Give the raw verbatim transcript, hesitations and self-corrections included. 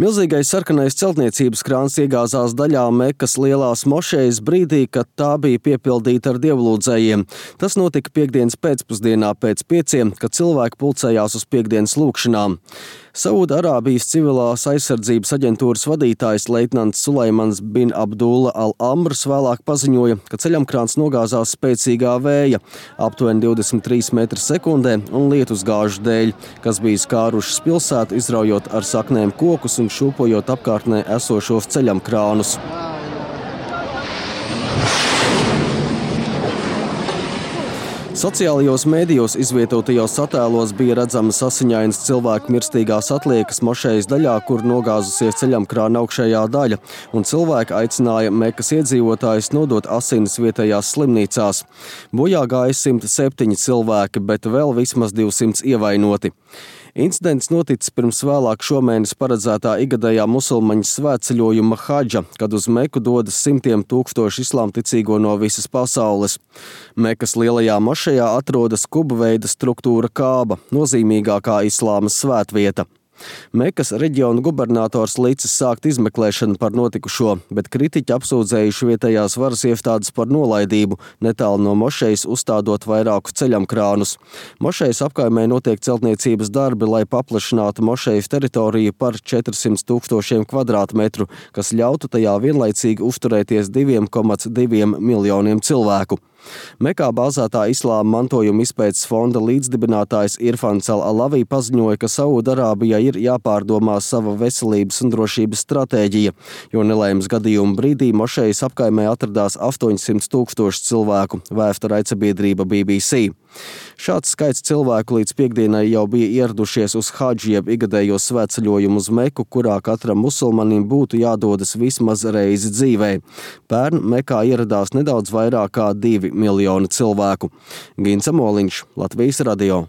Milzīgais sarkanais celtniecības krāns iegāzās daļā Mekas lielās mošejas brīdī, kad tā bija piepildīta ar dievlūdzējiem. Tas notika piektdienas pēcpusdienā pēc pieciem, kad cilvēki pulcējās uz piektdienas lūkšanām. Saūda-Arābijas civilās aizsardzības aģentūras vadītājs leitnants Suleimans bin Abdulla al-Amrs vēlāk paziņoja, ka ceļamkrāns nogāzās spēcīgā vēja, aptuveni divdesmit trīs metri sekundē un lietusgāžu dēļ, kas bija skārušas pilsētu, izraujot ar saknēm kokus un šūpojot apkārtnē esošos ceļamkrānus. Sociālajos mēdījos izvietotajos attēlos bija redzamas asiņainas cilvēku mirstīgās atliekas mošejas daļā, kur nogāzusies ceļamkrāna augšējā daļa, un cilvēki aicināja Mekas iedzīvotājus nodot asinis vietējās slimnīcās. Bojā gāja simt septiņi cilvēki, bet vēl vismaz divsimt ievainoti. Incidents noticis pirms vēlāk šomēnes paredzētā igadējā musulmaņu svētceļojuma hadža, kad uz Meku dodas simtiem tūkstošu islāmticīgo no visas pasaules. Mekas lielajā mošejā atrodas kubveida struktūra kāba, nozīmīgākā islāma svētvieta. Mekas reģiona gubernators licis sākt izmeklēšanu par notikušo, bet kritiķi apsūdzējuši vietējās varas iestādes par nolaidību, netālu no mošejas uzstādot vairāku ceļamkrānus. Mošejas apkaimē notiek celtniecības darbi, lai paplašinātu mošejas teritoriju par četrsimt tūkstošiem kvadrātmetru, kas ļautu tajā vienlaicīgi uzturēties diviem komats diviem miljoniem cilvēku. Mekā bāzētā islāma mantojuma izpētes fonda līdzdibinātājs Irfans al-Alavi paziņoja, ka Saūda-Arābijai ir jāpārdomā sava veselības un drošības stratēģija, jo nelaimes gadījuma brīdī mošejas apkaimē atradās astoņsimt tūkstoši cilvēku, vēsta raidsabiedrība B B C. Šāds skaits cilvēku līdz piekdienai jau bija ieradušies uz hadžu jeb igadējo svētceļojumu uz Meku, kurā katram musulmanim būtu jādodas vismaz reizi dzīvē. Pērn Mekā ieradās nedaudz vairāk kā divi miljoni cilvēku. Gints Amoliņš, Latvijas radio.